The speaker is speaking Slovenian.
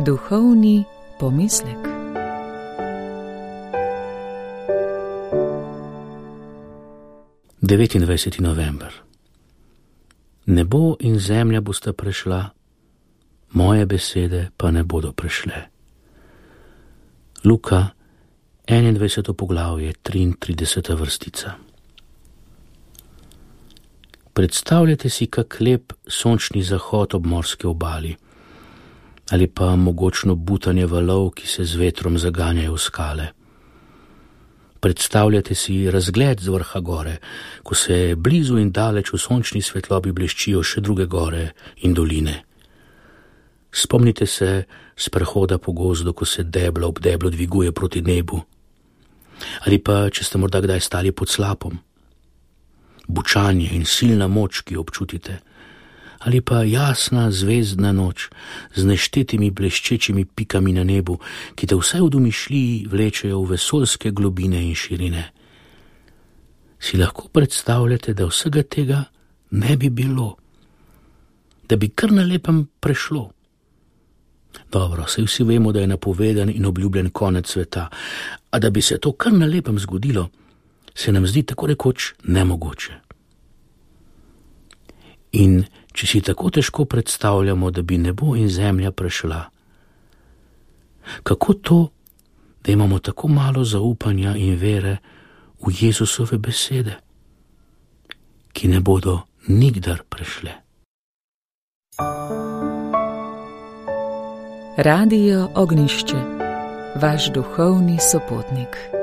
Duhovni pomislek. Devetindvajseti november. Nebo in zemlja bosta prešla, moje besede pa ne bodo prešle. Luka, 21. poglavje, 33. vrstica. Predstavljate si kak lep sončni zahod ob morski obali ali pa mogočno butanje valov, ki se z vetrom zaganjajo v skale. Predstavljate si razgled z vrha gore, ko se blizu in daleč v sončni svetlobi bleščijo še druge gore in doline. Spomnite se sprehoda po gozdu, ko se deblo ob deblo dviguje proti nebu. Ali pa, če ste morda kdaj stali pod slapom. Bučanje in silna moč, ki jo občutite. Ali pa jasna zvezdna noč z neštetimi bleščečimi pikami na nebu, ki te vsaj v domišljiji vlečejo v vesoljske globine in širine. Si lahko predstavljate, da vsega tega ne bi bilo, da bi kar na lepem prešlo. Dobro, saj vsi vemo, da je napovedan in obljubljen konec sveta, a da bi se to kar na lepem zgodilo, se nam zdi tako rekoč nemogoče. In če si tako težko predstavljamo, da bi nebo in zemlja prešla, kako to, da imamo tako malo zaupanja in vere v Jezusove besede, ki ne bodo nikdar prešle? Radio Ognjišče, vaš duhovni sopotnik.